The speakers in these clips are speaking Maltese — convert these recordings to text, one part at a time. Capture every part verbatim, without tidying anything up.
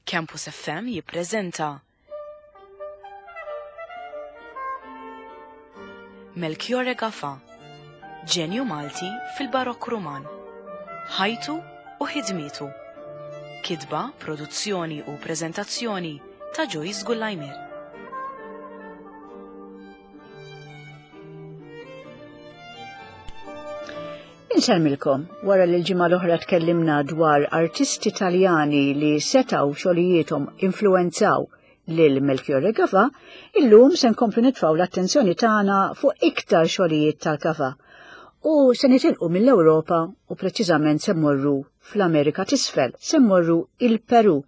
Campus F M jippreżenta Melchiorre Gafà, ġenju Malti fil-Barokk Ruman. Ħajtu u ħidmietu. Kitba, produzzjoni u preżentazzjoni ta' Joyce Gullajmir. Insellmilkom, wara li l-ġimgħa l-oħra tkellimna dwar artisti Taljani li setaw xogħlijiethom influenzaw lil Melchiorre Gafà, illum se nkomplu nitfgħu l-attenzjoni tagħna fuq iktar xogħlijiet tal-Gafà. U se nitilqu mill-Ewropa u preċiżament se mmorru fl-Amerika t'Isfel, se mmorru il-Peru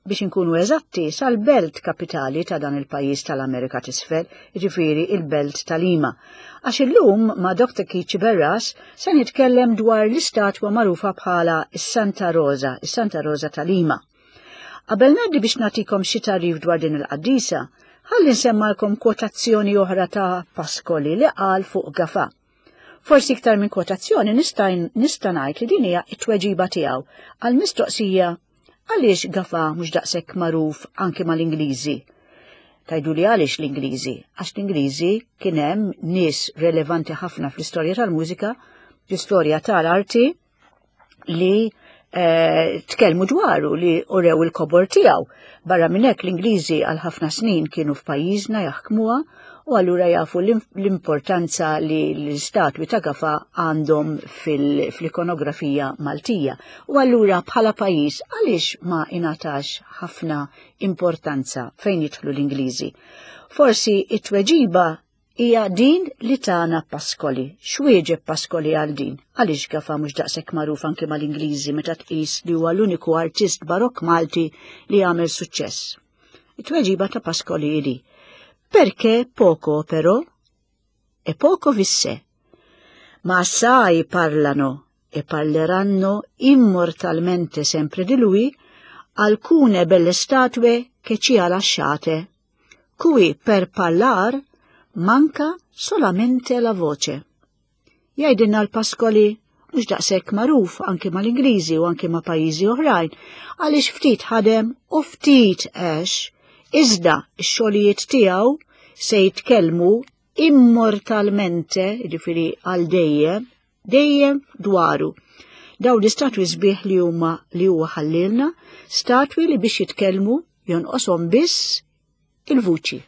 biex inkunu eżatti sal-belt kapitali ta' dan il-pajjiż tal-Amerika t'Isfel, jiġifieri il-belt ta' Lima. Għax illum ma' Doktor Keith Sciberras se nitkellem dwar l-istatwa magħrufa bħala s-Santa Rosa, is-Santa Rosa ta' Lima. Qabel ngħaddi biex nagħtikom xi tagħrif dwar din il-qaddisa, ħalli nsemmalkom kwotazzjoni oħra ta' Pascoli li qal fuq Gafà. Forsi iktar minn kwotazzjoni nista' nista' ngħid li din hija t-tweġiba tiegħu għal mistoqsija għaliex Gafà mhux daqshekk magħruf anke mal-Ingliżi. Tajdu li għaliex l-Ingliżi? Għax l-Ingliżi kien hemm nies relevanti ħafna fl-istorja tal-mużika, fl-istorja tal-arti li, eh, tkellmu dwaru, li urew il-kobor tiegħu. Barra minn hekk l-Ingliżi għal ħafna snin kienu f'pajjiżna jaħkmuha u allura jafu l-importanza li l-istatwi ta' Gafà għandhom fil-, fl-ikonografija Maltija. U allura bħala pajjiż għaliex ma ingħatax ħafna importanza fejn jidħlu l-Ingliżi? Forsi it-tweġiba hija din li tana Pascoli. X'wieġeb Pascoli għal din? Għaliex Gafà mhux daqshekk magħruf anke mal-Ingliżi meta tqis li huwa l-uniku artist barokk Malti li għamel suċċess? It-tweġiba ta' Pascoli hi: perché poco operò e poco visse, ma assai parlano e parleranno immortalmente sempre di lui alcune belle statue che ci ha lasciate, cui per parlar manca solamente la voce. Jgħidilna l-Pascoli mhux daqshekk magħruf anke mal-Ingliżi u anke ma' pajjiżi oħrajn, għaliex ftit ħadem u ftit għex, iżda x-xogħlijiet tiegħu se jitkellmu immortalmente, jiġifieri għal dejjem, dejjem dwaru. Dawn l-istatwi sbieħ li huma li huwa ħallilna, statwi li biex jitkellmu jonqoshom biss il-vuċi.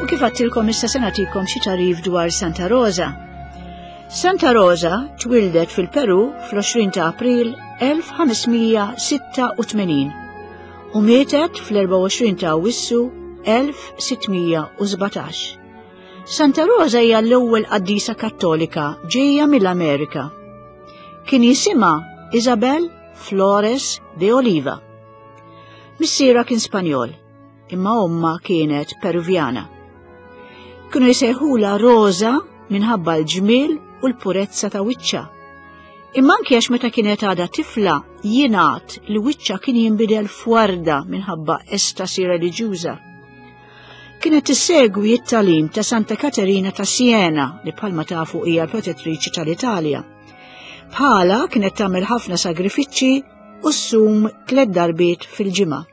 Kif għattilkom issa se nagħtikom xi tagħrif dwar Santa Rosa. Santa Rosa twildet fil-Peru fl-għoxrin ta' April elf ħamesmija sitta u tmenin u mietet fl-erbgħa u għoxrin ta' Awwissu elf sittmija u sbatax. Santa Rosa hija l-ewwel qaddisa Kattolika ġejja mill-Amerika. Kien jisimha Isabel Flores de Oliva. Missierha kien Spanjol, imma omma kienet Peruvjana. Kienu jsejħula Rosa minħabba l-ġmiel u l-purezza ta' wiċċha. Imma anke għax meta kienet għadha tifla jingħad li wiċċha kien jinbidel f'warda minħabba estasi reliġjuża. Kienet tissegwi t-tagħlim ta' Santa Katerina ta' Siena li bħalma tafu hija l-protettriċi tal-Italja. Bħala kienet tagħmel ħafna sagrifiċċji u ssum tliet darbiet fil-ġimgħa.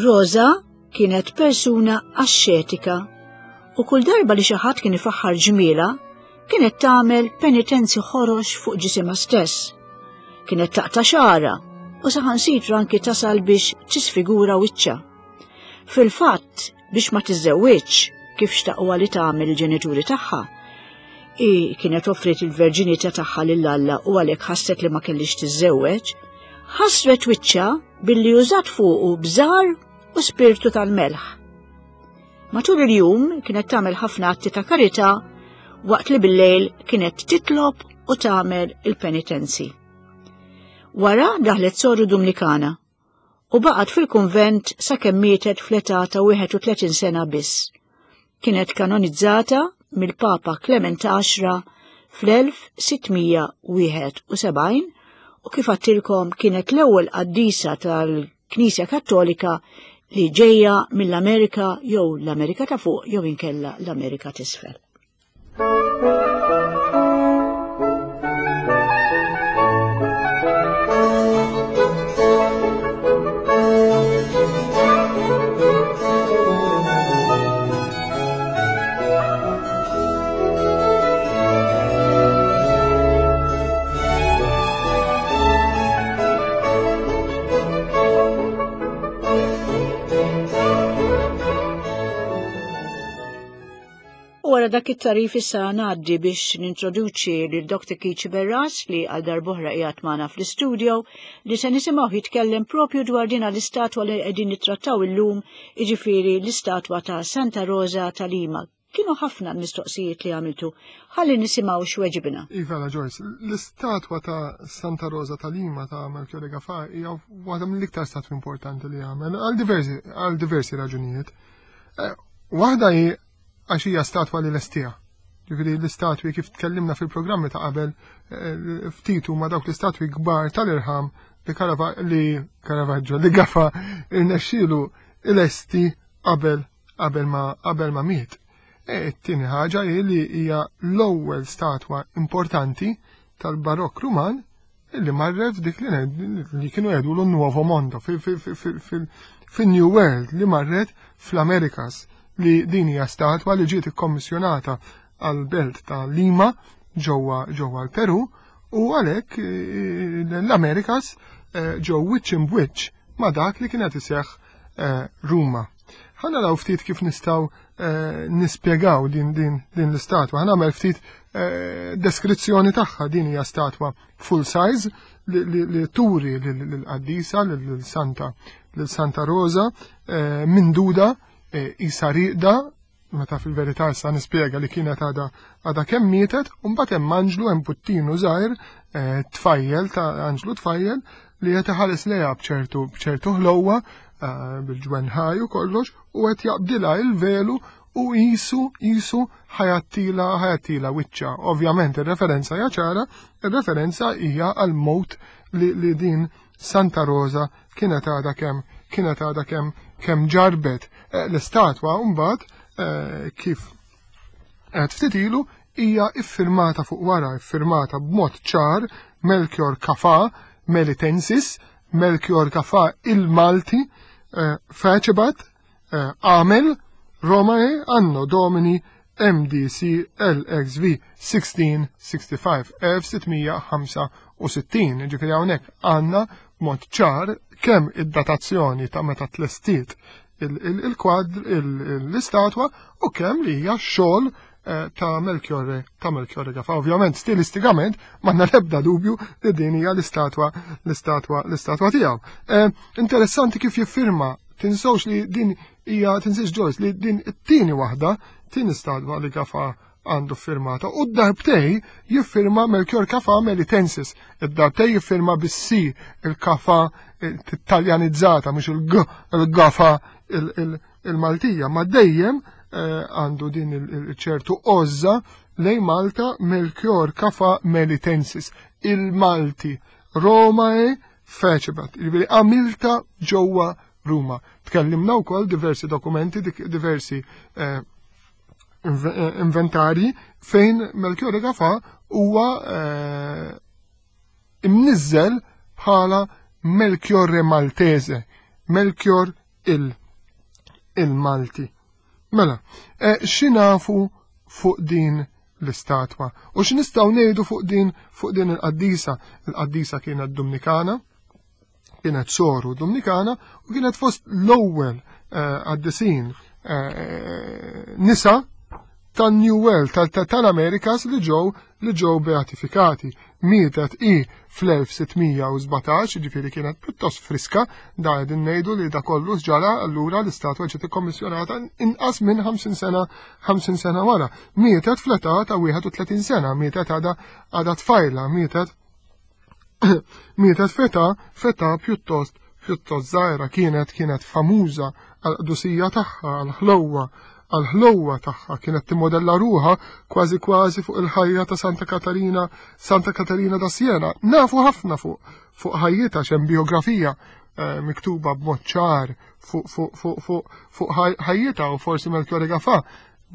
Rosa kienet persuna axxetika u kull darba li xi ħadd kien ifaħħar ġmiela kienet tagħmel penitenzi ħorox fuq ġisimha stess. Kienet taqta' xagħarha u saħansitra anki tasal biex tisfigura wiċċha. Fil-fatt, biex ma tiżżewwiġx kif xtaqwa li tagħmel il-ġenituri tagħha, i kienet offrit il-verġinità tagħha lil Alla u għalhekk ħasset li ma kellix tiżżewweġ, Ħasret wiċċha billi użat fuqu bżar u spirtu tal-melħ. Matul il-jum kienet tagħmel ħafna atti ta' karità waqt li bil-lejl kienet titlob u tagħmel il-penitenzi. Wara daħlet soru Dumnikana u baqgħet fil-kunvent sakemm mietet fl-età ta' wieħed u tletin sena biss. Kienet kanonizzata mill-Papa Clement għaxra fl-elf sittmija wieħed u sebgħin u kif għattilkom kienet l-ewwel qaddisa tal-Knisja Kattolika li ġejja mill-Amerika jew l-Amerika ta' fuq jew inkella l-Amerika t'isfel. Wara dak it-tarif issa ngħaddi biex nintroduċi lil Doctor Keith Sciberras li għal darb'oħra qiegħed magħna fl-istudio li se nisimgħu jitkellem propju dwar din l-istatwa li qegħdin nittrattaw illum, jiġifieri l-istatwa ta' Santa Rosa ta' Lima. Kienu ħafna l-mistoqsijiet li għamiltu. Ħalli nisimgħu x'weġibna. Iva, Joyce, l-istatwa ta' Santa Rosa ta' Lima ta' Melchiorre Gafà hija waħda mill-iktar statwi importanti li għamel għal diversi, għal diversi raġunijiet. Eh, waħda hi għax hija statwa li lestija. Ġifieri l-istatwi kif tkellimna fil-programmi ta' qabel, eh, ftit huma dawk l-istatwi kbar tal-irħam li Carava-, li Caravaggio, li Gafà irnexxielu ilesti qabel, qabel ma, qabel ma miet. E t-tieni ħaġa hi li hija l-ewwel statwa importanti tal-Barokk Ruman li marret dik li ne-, li kienu jgħidu l-Nuovo Mondo, fi-, fi-, fi-, fi-, fi-, fin-New World, li marret fl-Amerikas, li din hija statwa li ġiet ikkommissjonata għal belt ta' Lima ġewwa, ġewwa l-Peru, u għalhekk, eh, l-Amerikas, eh, ġew wiċċ imbwiċċ ma' dak li kienet iseħħ, eh, Ruma. Ħa naraw ftit kif nistgħu, eh, nispjegaw din, din, din l-istatwa. Ħa nagħmel ftit, eh, deskrizzjoni tagħha. Din hija statwa full size li, li, li turi lill-qaddisa, lil Santa, lil Santa Rosa, eh, minduda, eh, isa riqda, meta fil-verità issa nispjega li kienet għadha, għadha kemm mietet, u mbagħad hemm anġlu, hemm puttinu żgħir, eh, tfajjel ta' anġlu tfajjel li qed iħares lejha b'ċertu, b'ċertu ħlowwa, eh, bil-ġwenħaj u kollox, u qed jaqbdilha il-velu u jisu, jisu ħajattila, ħajattila wiċċa. Ovvjament ir-referenza hija ċara, ir-referenza hija għal mowt li, li din Santa Rosa kienet għadha kemm, kienet għadha kemm, kemm ġarbet. Eh, l-istatwa mbagħad, eh, kif qed ftit ilu hija iffirmata fuq wara, iffirmata b'mod ċar Melchior Gafà Melitensis, Melchior Gafà il-Malti, eh, Facebat, eh, Amel Romae Anno Domini M D C L X V sixteen sixty-five, elf sittmija ħamsa u sittin. Ġifieri hawnhekk għandna b'mod ċar kemm id-datazzjoni ta' meta tlestiet il-, il-, il-kwadr, il-, il-, l-istatwa u kemm li hija xogħol, eh, ta' Melchiorre, ta' Melchiorre Gafà. Ovvjament stilistikament m'għandna l-ebda dubju li din hija l-istatwa, l-istatwa, l-istatwa tiegħu. Eh, interessanti kif jiffirma, tinsewx li din hija, tinsiex Joyce, li din it-tieni waħda, tieni statwa li Gafà għandu firmata, u d-darbtej jiffirma Melchior Gafà Melitensis, id-darbtej jiffirma bis-C, il-Gafà taljanizzata, mhux il-G, il-Gafà il-, il-, il-Maltija, ma dejjem, eh, għandu din il-, il-, ċertu għożża lejn Malta Melchior Gafà Melitensis, il-Malti, Romae Fecebat, jiġifieri għamilta ġewwa Ruma. Tkellimna wkoll diversi dokumenti, dik-, diversi, eh, inve-, eh, inventarji fejn Melchior Gafà huwa, eh, imniżżel bħala Melchiorre Maltese, Melchior il-, il-Malti. Mela, eh, x'inafu fuq din l-istatwa? U x'nistgħu ngħidu fuq din, fuq din il-qaddisa? Il-qaddisa kienet Dominikana, kienet soru Dominikana u kienet fost l-ewwel, eh, qaddisin, eh, nisa tan-New World, tal-Amerikas li ġew li ġew beatifikati. Mietet i fl-elf sitt mija u sbatax, ġifieri kienet pjuttost friska, da qegħdin ngħidu li da kollu ġara allura l-istatwa ġiet ikkommissjonata inqas minn ħamsin sena, ħamsin sena wara. Mietet fl-età ta' wieħed u tletin sena, mietet għadha għadha tfajla, mietet mietet f'età, f'età pjuttost, pjuttost żgħira, kienet, kienet famuża għall-qdusija tagħha, għall-ħlewwa, għall-ħlewwa tagħha, kienet timmodella ruha kważi kważi fuq il-ħajja ta' Santa Katarina, Santa Katarina da Siena. Nafu ħafna fuq, fuq ħajjitha, x'hemm biografija, eh, miktuba b'mod ċar fuq, fuq, fuq, fuq, fuq ħaj-, ħajjitha, u forsi Melchiorre Gafà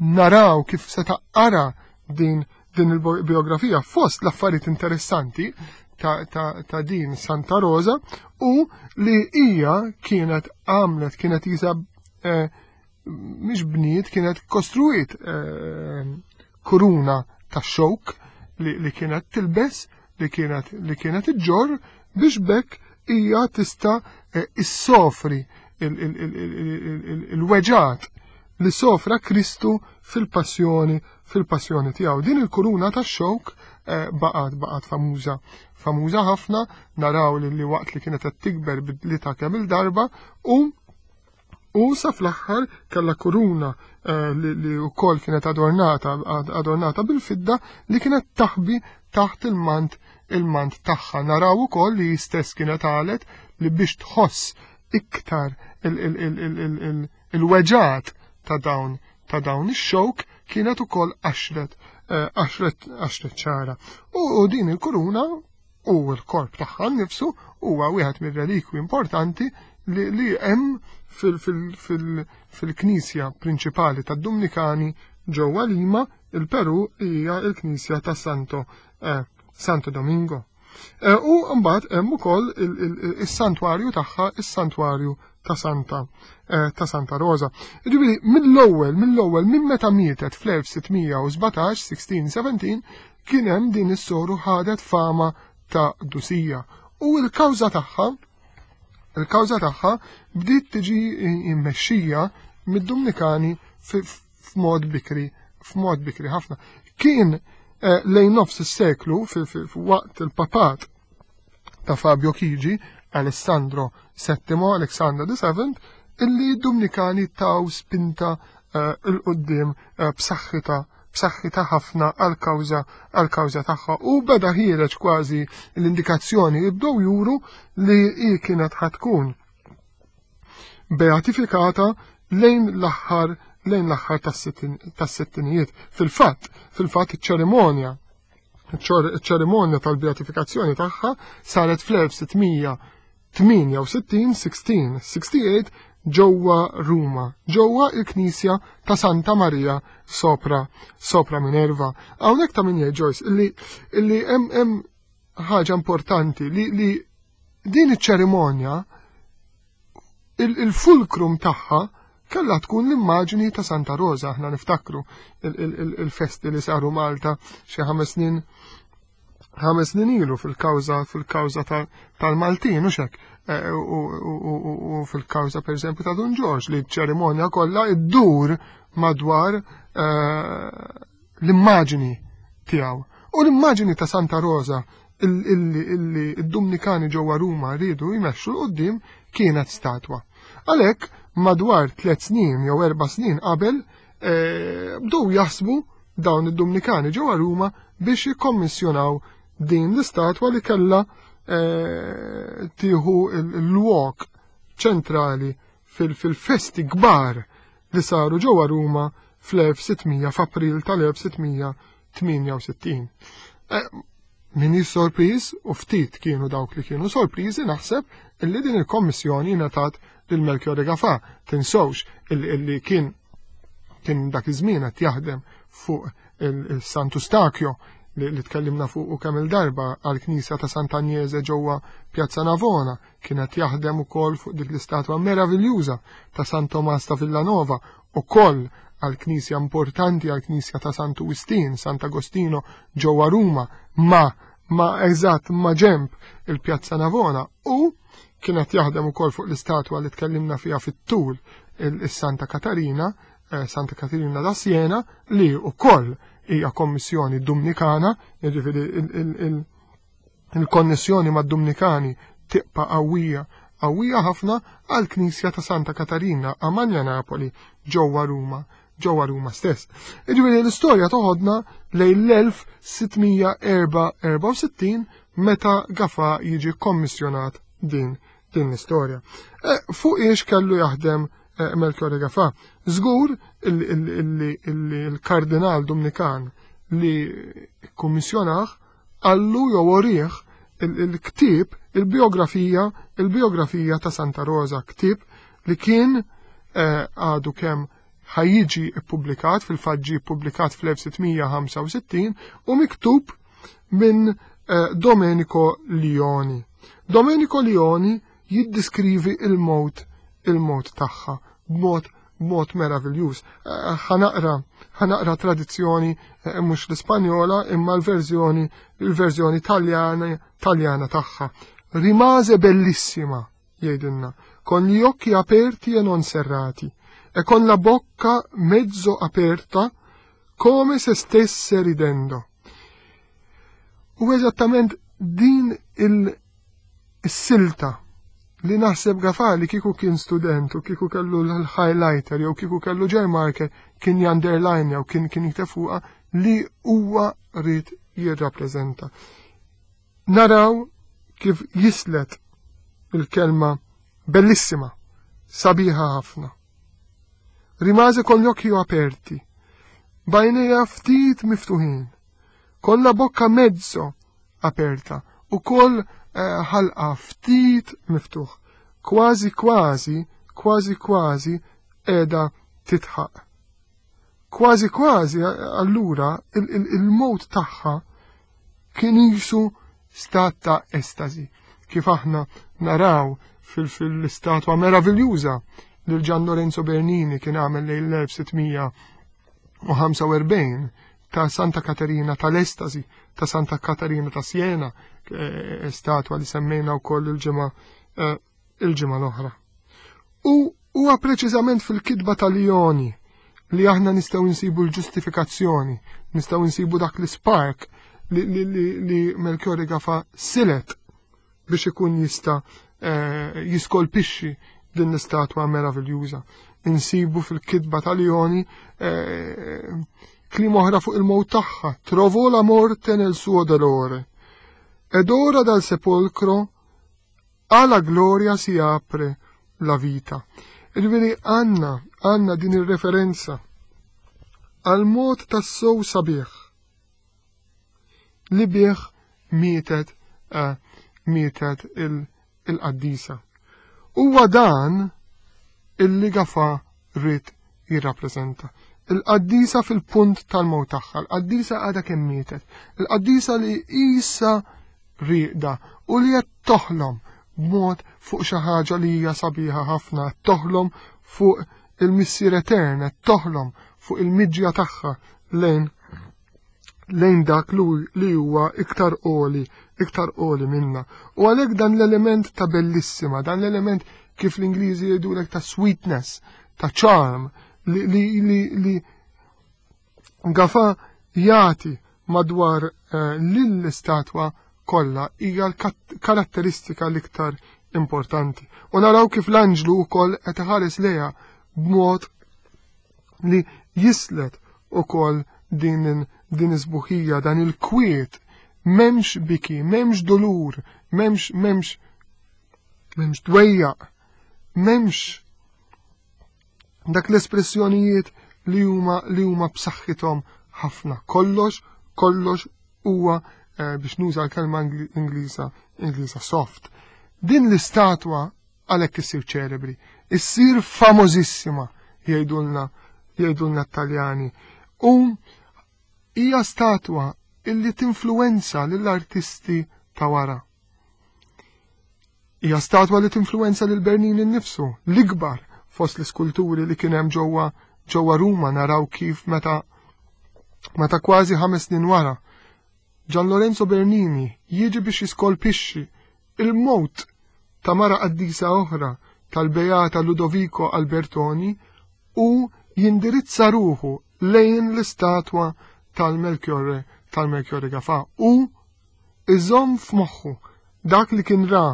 naraw kif se taqra din, din il-biografija. Fost l-affarijiet interessanti ta', ta', ta' din Santa Rosa u li hija kienet għamlet, kienet jisa, eh, mhix bniet, kienet kostruit, eh, kuruna ta' xokk li, li kienet tilbes, li kienet, li kienet iġġorr biex bekk hija tista', eh, issofri il, il, il, il, il, il, il-weġat li sofra Kristu fil-passjoni, fil-passjoni tiegħu. Din il-kuruna ta' xokk, eh, baqgħet, baqgħet famuża, famuża ħafna, naraw li, li waqt li kienet qed tikber bidlitha kemm il-darba u, u sa fl-aħħar kellha kuruna, eh, li, li wkoll kienet adornata, ad-, adornata bil-fidda li kienet taħbi taħt il-mant, il-mant tagħha. Naraw ukoll li stess kienet qalet li biex tħoss iktar il, il, il, il, il, il, il-weġat ta' dawn, ta' dawn ix-xokk kienet ukoll għaxret, eh, għaxret, għaxret ċara. U, u din il-kuruna u l-korp tagħha nnifsu huwa wieħed mir-relikwi importanti li, li hemm fil, fil, fil, fil-knisja prinċipali tad-Dumnikani ġewwa Lima, il-Peru, hija l-knisja ta' Santo, eh, Santo Domingo. Eh, u mbagħad hemm ukoll il, il, il, is-santwarju tagħha, is-santwarju ta' Santa, eh, ta' Santa Rosa. Ġifieri mill-ewwel, mill-ewwel minn meta mietet fl-elf sitt mija u sbatax, sixteen seventeen, kien hemm din is-soru ħadet fama ta' dusija. U l-kawża tagħha, il-kawża tagħha bdiet tiġi immexxija mid-Dumnikani fi-, f'mod bikri, f'mod bikri ħafna. Kien, eh, lejn nofs is-seklu fi-, fi-, waqt il-papat ta' Fabio Chigi, Alessandro settimo, Alexander the Seventh, illi d-Dumnikani taw spinta, eh, il-qoddim, eh, b'saħħitha, b'saħħitha ħafna għal-kawża, għal-kawża tagħha, u beda ħiereġ kważi l-indikazzjoni jibdew juru li hi kienet ħatkun beatifikata lejn l-aħħar, lejn l-aħħar tas-sittin-, tas-sittinijiet. Fil-fatt, fil-fatt iċ-ċerimonja, iċ-ċerimonja tal-beatifikazzjoni tagħha saret fl-elf sitt mija tmienja u sittin, sixteen sixty-eight, ġewwa Ruma, ġewwa il-Knisja ta' Santa Maria sopra, sopra Minerva. Hawnhekk ta' min jgħid, Joyce, illi, illi hemm, hemm ħaġa importanti li, li din iċ-ċerimonja il-, il-fulkrum tagħha kellha tkun l-immaġni ta' Santa Rosa. Aħna niftakru il-, il-, il-, il-festi li saru Malta xi ħames snin, ħames snin ilu fil-kawża, fil-kawża ta-, tal-Maltin, u xek, eh, u, u, u, u, u fil-kawża per eżempju ta' Dun Ġorġ, li ċ-ċerimonja kollha iddur madwar, eh, l-immaġni tiegħu. U l-immaġni ta' Santa Rosa il-, illi, illi id-Dumnikani ġewwa Ruma riedu jmexxu l quddiem kienet statwa. Għalhekk madwar tliet snin jew erba' snin qabel, eh, bdew jaħsbu dawn id-Dumnikani ġewwa Ruma biex jikkommissjonaw din l-istatwa li kellha, eh, tieħu il-, il-lwok ċentrali fil-, fil-festi kbar li saru ġewwa Ruma fl-elf sitt mija, f'April tal-elf sitt mija tmienja u sittin. Eh, min hi sorpriż, u ftit kienu dawk li kienu sorpriżi, naħseb illi din il-kommissjoni ngħatat lil Melchiorre Gafà. Tinsewx illi, illi kien, kien dak iż-żmien qed jaħdem fuq il-, il-Santu Stakio li, li tkellimna fuq u kemm il-darba għall-Knisja ta' Sant'Agnese ġewwa Piazza Navona, kien qed jaħdem ukoll fuq dik l-istatwa meraviljuża ta' San Tomas ta' Villanova, ukoll għall-knisja importanti, għall-knisja ta' Santu Wistin, Sant'Agostino ġewwa Ruma, ma, ma eżatt ma ġemp il-Piazza Navona, u kienet jaħdem ukoll fuq l-istatwa li tkellimna fiha fit-tul il-Santa Katarina, eh, Santa Caterina da Siena li wkoll hija kommissjoni Dumnikana, jiġifieri il-konnessjoni mad-Dumnikani tibqa' qawwija qawwija ħafna għall-Knisja ta' Santa Katarina a Magna Napoli ġewwa Ruma ġewwa Ruma stess. Jiġifieri l-istorja toħodna lejn l-elf sitt mija erbgħa u sittin meta Gafà jiġi kommissjonat din, din l-istorja. Eh, fuq iex kellu jaħdem, eh, Melchiorre Gafà? Żgur il-kardinal Dumnikan li kommissjonaħ għallu jew orih il-ktieb, il-biografija, il-biografija ta' Santa Rosa, ktieb li kien, eh, għadu kemm ħajjiġi ippubblikat, fil-fatt ġie ippubblikat fl-elf sitt mija ħamsa u sittin u miktub minn, eh, Domenico Lioni. Domenico Lioni jiddiskrivi il-mowt, il-mowt tagħha b'mod, b'mod meraviljuż. Eh, ħanaqra, ħanaqra tradizzjoni, eh, mhux l-Ispanjola imma l-verżjoni, il-verżjoni taljana, taljana tagħha. Rimase bellissima, jgħidilna, con gli occhi aperti e non serrati e con la bocca mezzo aperta come se stesse ridendo. U eżattament din il-silta li naħseb Gafà li kieku kien student u kieku kellu l-highlighter jew kieku kellu gel marker kien underline jew kien, kien jikteb fuqha li huwa ried jirrappreżenta. Naraw kif jislet il-kelma bellissima, sabiħa ħafna. Rimase con gli occhi aperti, bajnejha ftit miftuħin, con la bocca mezzo aperta u kol, eh, ħalqa ftit miftuħ, kważi kważi, kważi kważi qiegħda titħaq. Kważi kważi allura il-, il-, il-mowt tagħha kien jisu stat ta' estasi, kif aħna naraw fil-, fil-istatwa meraviljuża li Gian Lorenzo Bernini kien għamel lejn l-elf sitt mija u ħamsa u erbgħin ta' Santa Caterina tal-Estasi, ta' Santa Caterina ta' Siena, eh, statwa li semmejna wkoll il-ġimgħa, eh, il-ġimgħa l-oħra. U huwa preċiżament fil-kitba ta' Lioni li aħna nistgħu nsibu l-ġustifikazzjoni, nistgħu nsibu dak l-spark li, li, li, li Melchiorre Gafà silet biex ikun jista', eh, jiskolpixxi din l-istatwa meraviljuża. Insibu fil-kitba ta' Lioni, eh, kliem oħra fuq il-mowt tagħha, trovò la morte nel suo dolore, ed ora dal sepolcro alla gloria si apre la vita. Ġifieri għandna, għandna din ir-referenza għal mod tas-sow sabiħ li bih mietet, eh, mietet il-, il-qaddisa. Huwa dan illi Gafà ried jirrappreżenta. Il-qaddisa fil-punt tal-mewt tagħha, il-qaddisa għadha kemm mietet, il-qaddisa li isa rieqda u li qed toħlom b'mod fuq xi ħaġa li hija sabiħa ħafna, qed toħlom fuq il-Missier Etern, qed toħlom fuq il-miġja tagħha lejn, lejn dak li huwa iktar għoli, iktar għoli minna. U għalhekk dan l-element ta' bellissima, dan l-element kif l-Ingliżi jgħidulek ta' sweetness, ta' charm, li, li, li, li Gafà jagħti madwar, eh, lill-istatwa kollha hija l-karatteristika l-iktar importanti. U naraw kif l-anġlu wkoll qed iħares lejha b'mod li jislet ukoll din, din is-sbuħija, dan il-kwiet, m'hemmx biki, m'hemmx dolur, m'hemmx, m'hemmx, m'hemmx dwejjaq, m'hemmx dak l-espressjonijiet li huma, li huma b'saħħithom ħafna. Kollox, kollox huwa, eh, biex nuża l-kelma Ingli-, Ingliża, Ingliża soft. Din l-istatwa għalhekk issir ċelebri, issir famożissima, jgħidulna, jgħidulna t-Taljani. U hija statwa illi tinfluwenza lill-artisti ta' wara. Hija statwa li tinfluwenza lil Bernini nnifsu, l-ikbar fost l-iskulturi li kien hemm ġewwa, ġewwa Ruma. Naraw kif meta, meta kważi ħames snin wara Gian Lorenzo Bernini jiġi biex jiskolpixxi il-mowt ta' mara qaddisa oħra tal-Beata Ludovico Albertoni u jindirizza ruħu lejn l-istatwa tal-Melchiorre tal-Melchiorre Gafà u iżomm f'moħħu dak li kien ra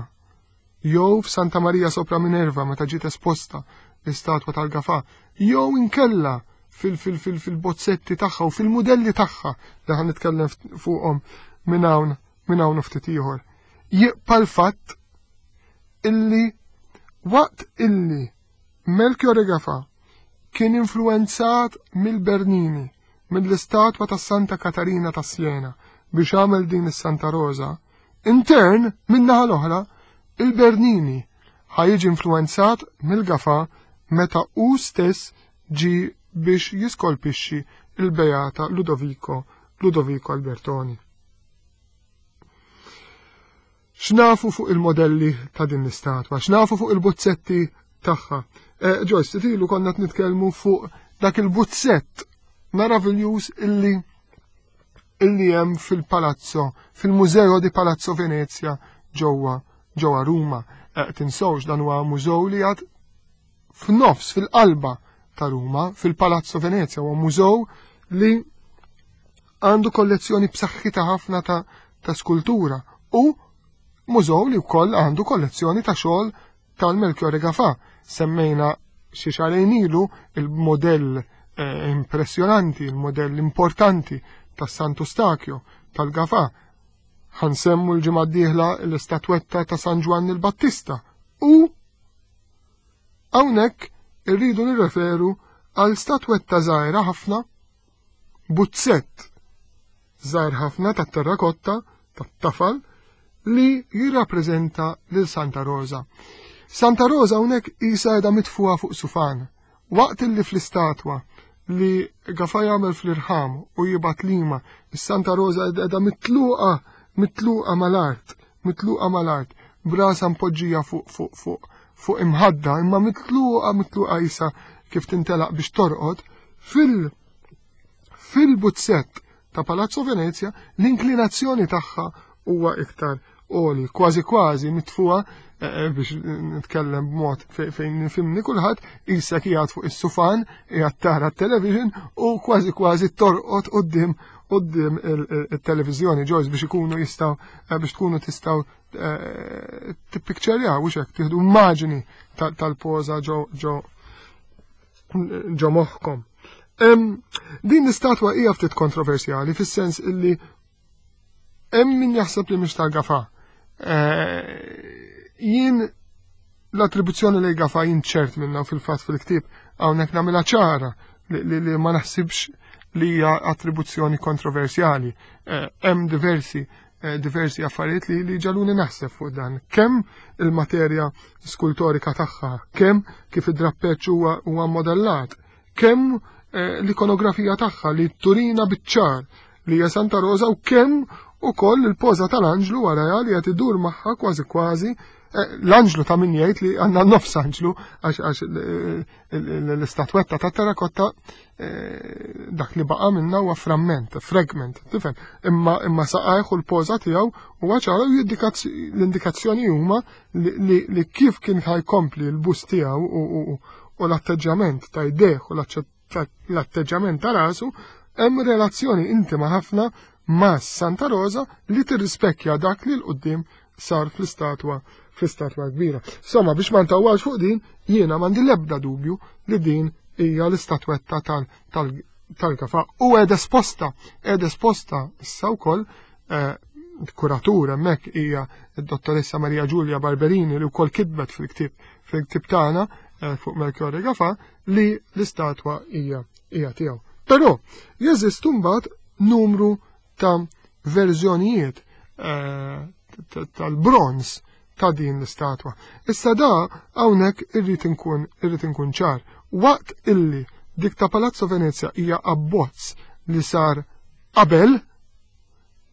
jew f'Santa Maria sopra Minerva meta ġiet esposta l-istatwa tal-Gafà, jew inkella fil-bozzetti tagħha u fil-mudelli tagħha li ħan nitkellem fuqhom minn hawn minn hawn ftit ieħor. Jibqa' l-fatt illi waqt illi Melchiorre Gafà kien influenzat mill-Bernini, mill-istatwa ta' Santa Katarina ta' Siena biex għamel din is-Santa Rosa, intern min-naħa l-oħra il-Bernini ħa jiġi influenzat mill-Gafà meta hu stess ġi biex jiskolpixxi il-Beata Ludovico Ludovico Albertoni. X'nafu fuq il-modelli ta' din l-istatwa, x'nafu fuq il-bozzetti tagħha. Eh, Joyce, tilu konna nitkellmu fuq dak il-bozzett meraviljuż illi illi hemm fil-Palazzo, fil-Mużeo di Palazzo Venezia ġewwa ġewwa Ruma. Eh, tinsewx dan huwa mużew li għad f'nofs fil-qalba ta' Ruma, fil-Palazzo Venezia, huwa mużew li għandu kollezzjoni b'saħħitha ħafna ta', ta' skultura u mużew li wkoll għandu kollezzjoni ta' xogħol tal-Melchiorre Gafà. Semmejna xi xahrejn ilu il-modell eh, impressjonanti, il-modell importanti tas Santu Stakio tal-Gafà. Ħansemmu l-ġimgħa d-dieħla l-istatwetta ta' San Ġwanni l-Battista u hawnhekk irridu nirreferu għal statwetta żgħira ħafna, buzzett żgħir ħafna tat-terrakotta tat-tafal li jirrappreżenta lil Santa Rosa. Santa Rosa hawnhekk qisha qiegħda mitfuha fuq sufan. Waqt li fl-istatwa li Gafà jagħmel fl-irħam u jibgħat Lima, is-Santa Rosa qiegħda mitluqa mitluqa mal-art, mitluqa mal-art, brasa mpoġġija fuq fuq fuq fuq imħadda, imma mitluqa mitluqa isa kif tintelaq biex torqod, fil fil-buzzett ta' Palazzo Venezia l-inklinazzjoni tagħha huwa iktar għoli, kważi kważi mitfuha eh, biex nitkellem b'mod fejn nifhimni kulħadd, isa qiegħed fuq is-sufan, qiegħed tara t-television u kważi kważi torqod quddiem quddiem il-televiżjoni Joyce biex ikunu jistgħu biex tkunu tistgħu tippikċerjaw u hekk tieħdu immaġini tal-poża ġo ġo ġo moħħkom. Din l-istatwa hija ftit kontroversjali fis-sens illi hemm min jaħseb li mhix tal-Gafà. Jien l-attribuzzjoni li Gafà jien ċert minna fil-fatt fil-ktieb hawnhekk nagħmilha ċara li ma naħsibx li hija attribuzzjoni kontroversjali. Hemm diversi diversi affarijiet li li ġaluni naħseb fuq dan. Kemm il-materja skultorika tagħha, kemm kif id-drappeċ huwa huwa modellat, kemm l-ikonografija tagħha li turina biċ-ċar li hija Santa Rosa u kemm ukoll il-poża tal-anġlu warajha li qed idur magħha kważi kważi l-anġlu ta' min jgħid li għandna nofs anġlu għax l-istatwetta ta' terrakotta dak li baqa' minna huwa framment, fragment, tifhem, imma imma saqajh u l-poża tiegħu huwa ċara u l-indikazzjoni huma li kif kien ħajkompli l-bust tiegħu u l-atteġġjament ta' jdejh u l-atteġġjament ta' rasu hemm relazzjoni intima ħafna ma' Santa Rosa li tirrispekkja dak li l-qudiem sar fl-istatwa fl-istatwa kbira. Insomma, biex ma ntawwax fuq din, jiena m'għandi l-ebda dubju li din hija l-istatwetta tal-Gafà u qiegħda esposta, qiegħda esposta issa wkoll kuratur hemmhekk hija d-dottoressa Maria Giulia Barberini li wkoll kitbet fil-ktieb fil-ktieb tagħna fuq Melchiorre Gafà li l-istatwa hija hija tiegħu. Però jeżistu mbagħad numru ta' verżjonijiet tal-bronz ta' din l-istatwa. Issa da hawnhekk irrid inkun irrid inkun ċar. Waqt illi dik ta' Palazzo Venezia hija abbozz li sar qabel,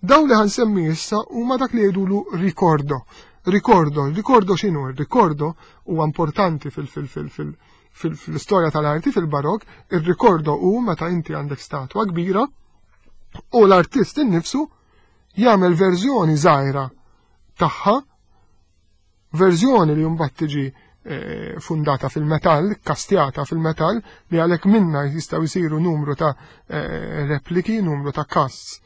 dawn li ħansemmi issa huma dak li jgħidulu ricordo. Ricordo, ricordo x'inhu? Il-ricordo huwa importanti fil fil fil fil fil-istorja tal-arti fil-barok, il-ricordo hu meta inti għandek statwa kbira u l-artist innifsu jagħmel verżjoni żgħira tagħha, verżjoni li mbagħad tiġi eh, fundata fil-metall, kastjata fil-metall, li għalhekk minna jistgħu jsiru numru ta' eh, repliki, numru ta' casts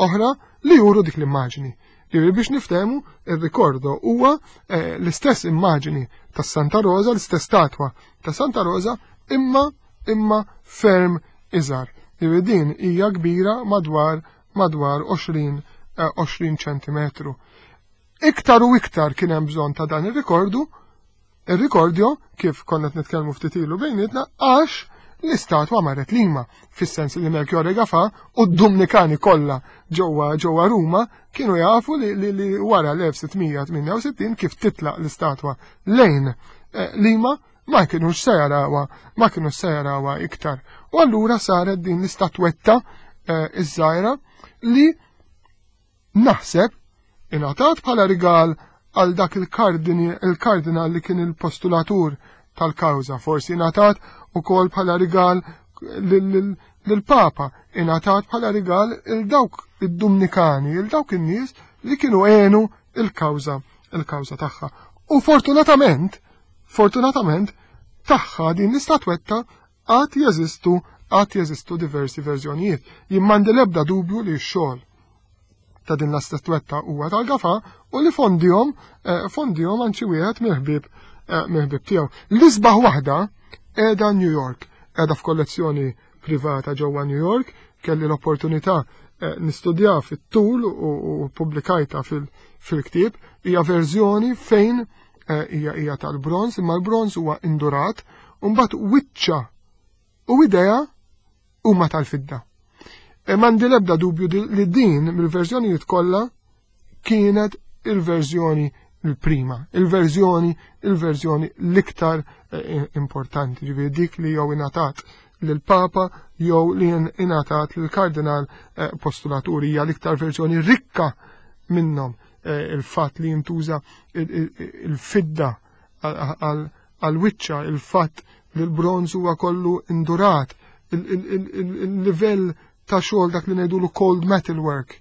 oħra li juru dik l-immaġni. Ġifieri biex niftehmu, ir-ricordo huwa eh, l-istess immaġni ta' Santa Rosa, l-istess statwa ta' Santa Rosa, imma imma ferm iżgħar. Ġifieri din hija kbira madwar madwar għoxrin għoxrin ċentimetru. Iktar u iktar kien hemm bżonn ta' dan ir-rikordu, ir-rikordjo, kif konna qed nitkellmu ftit ilu bejnietna, għax l-istatwa marret Lima, fis-sens li Melchiorre Gafà u d-Dumnikani kollha ġewwa ġewwa Ruma kienu jafu li, li, li wara l-elf sitt mija tmienja u sittin kif titlaq l-istatwa lejn eh, Lima ma kienux se jarawha, ma kienux se jarawha iktar. U allura saret din l-istatwetta eh, iż-żgħira li naħseb ingħatat bħala rigal għal dak il-kardini, il-kardinal li kien il-postulatur tal-kawża, forsi ingħatat ukoll bħala rigal lill-Papa, ingħatat bħala rigal il dawk id-Dumnikani, il dawk in-nies li kienu għenu il-kawża, il-kawża tagħha. U fortunatament, fortunatament tagħha din l-istatwetta għad jeżistu, għad jeżistu diversi verżjonijiet. Jien m'għandi l-ebda dubju li x-xogħol ta' din l-istatwetta huwa tal-Gafà u li fondihom, eh, fondihom għand xi wieħed mill-ħbieb, eh, mill-ħbieb tiegħu. L-isbaħ waħda qiegħda New York, qiegħda f'kollezzjoni privata ġewwa New York, kelli l-opportunità, eh, nistudja fit-tul u, u pubblikajta fil-, fil-ktieb, hija verżjoni fejn, eh, hija, hija tal-bronz, imma l-bronz huwa indurat, u mbagħad wiċċa u idea huma tal-fidda. E m'għandi l-ebda dubju di-, li din mill-verżjonijiet kollha kienet il-verżjoni l-prima, il-verżjoni, il-verżjoni l-iktar, eh, importanti, ġifieri dik li jew ingħatat lill-Papa jew li ingħatat lill-Kardinal, eh, Postulaturi, hija l-iktar verżjoni rikka minnhom. Eh, il-fatt li jintuża il-, il-, il-fidda għal-wiċċa, il-fatt li l-bronz huwa kollu indurat, il-, il-, il-, il-, il-livell ta' xogħol dak li ngħidulu cold metal work,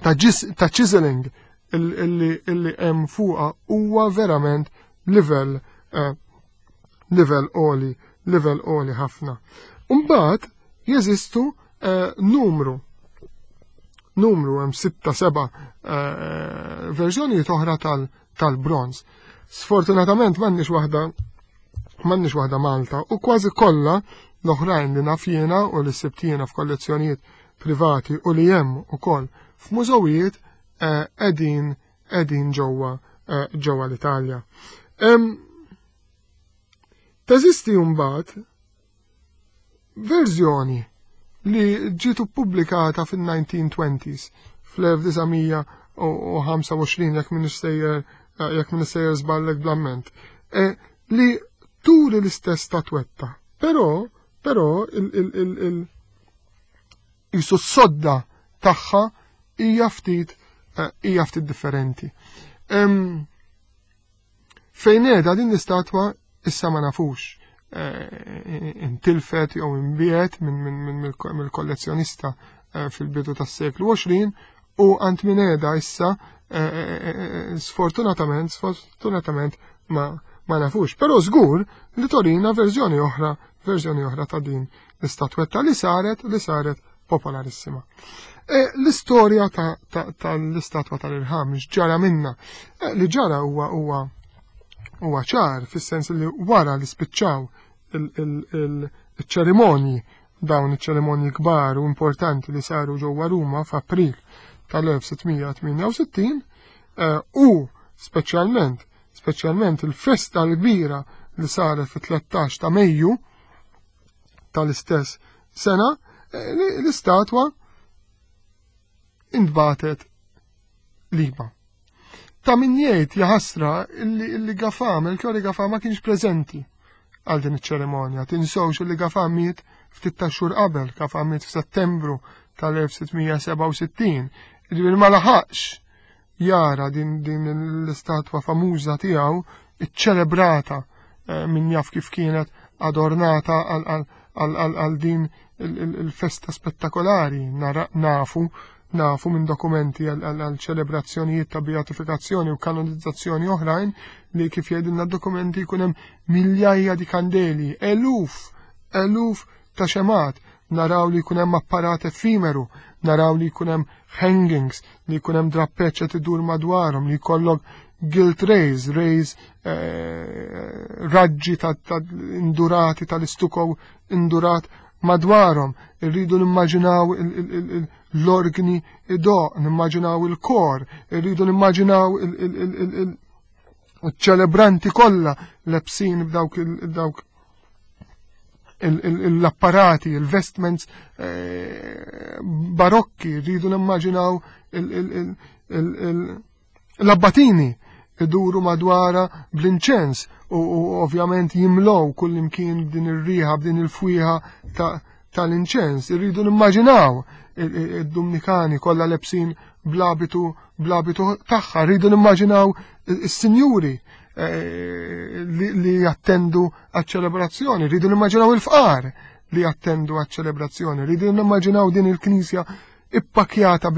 ta' ġis-, ta' chiseling illi, illi hemm fuqha huwa verament livell, eh, livell għoli, livell għoli ħafna. Mbagħad jeżistu, eh, numru, numru hemm sitta seba', eh, verżjonijiet oħra tal-, tal-bronz. Sfortunatament m'għandniex waħda, m'għandniex waħda Malta u kważi kollha l-oħrajn li naf jiena u li sibt jiena f'kollezzjonijiet privati u li hemm ukoll f'mużewijiet, eh, qegħdin, qegħdin ġewwa, eh, ġewwa l-Italja. Em, teżisti mbagħad verżjoni li ġiet ippubblikata fin-nineteen twenties, fl-elf disa' mija u ħamsa u għoxrin, jekk m'iniex sejjer, eh, jekk m'iniex sejjer żballek bl-amment, eh, li turi l-istess statwetta, però, però il, il, il, il, jisu s-sodda tagħha hija ftit, eh, hija ftit differenti. Em, fejn qiegħda din l-istatwa issa ma nafux, eh, intilfet jew inbiet minn, minn, minn, mill-ko-, mill-kollezzjonista, eh, fil-bidu tas-seklu għoxrin u għand min qiegħda issa, eh, eh, eh, eh, sfortunatament, sfortunatament ma, ma nafux. Però żgur li torina verżjoni oħra, verżjoni oħra ta' din l-istatwetta li saret, li saret popolarissima. E, l-istorja ta', ta', tal-istatwa tal-irħam x'ġara minna? E, li ġara huwa, huwa, huwa ċar, fis-sens li wara li spiċċaw il-, il-, il-, il-ċerimonji, dawn iċ-ċerimonji kbar u importanti li saru ġewwa Ruma f'April tal-elf sitt mija tmienja u sittin, e, u speċjalment, speċjalment il-festa l-kbira li saret fit-tlettax ta' Mejju tal-istess sena, e, l-istatwa intbatet Lima. Ta' min jgħid jaħasra illi, illi Gafà, Melchiorre Gafà ma kienx preżenti għal din iċ-ċerimonja. Tinsewx illi Gafà miet ftit ta' xhur qabel, Gafà miet f'Settembru tal-elf sitt mija sebgħa u sittin. Ġifieri ma laħaqx jara din, din l-istatwa famuża tiegħu iċċelebrata, eh, min jaf kif kienet adornata għal, għal, għal, għal, għal din il-, il-, il-festa spettakolari. Nara, nafu Nafu minn dokumenti għal ċelebrazzjonijiet ta' beatifikazzjoni u kanonizzazzjoni oħrajn li kif jgħidilna dokumenti jkun hemm miljajja di kandeli, eluf, eluf ta' xemat, naraw li jkun hemm apparat effimeru, naraw li jkun hemm hangings, li jkun hemm drappeċ qed idur madwarhom, li jkollok gilt rays, rays eh, raġġi ta', ta indurati tal-istuko indurat madwarhom. Irridu nimmaġinaw l-organi idoqq, nimmaġinaw il-kor, irridu nimmaġinaw il-ċelebranti kollha lebsin b'dawk dawk l-apparati, il-vestments eh, barokki, rridu nimmaġinaw l-abbatini iduru madwara bl-inċens u ovvjament jimlow kull imkien b'din ir-riħa, b'din il-fwieħa tal-inċens. Irridu nimmaġinaw id-Dumnikani kollha lebsin bl-abitu bl-abitu tagħha, rridu nimmaġinaw is-sinjuri eh, li jattendu għaċ-ċelebrazzjoni, rridu nimmaġinaw il-fqar li jattendu għaċ-ċelebrazzjoni, rridu nimmaġinaw din il-knisja ippakjata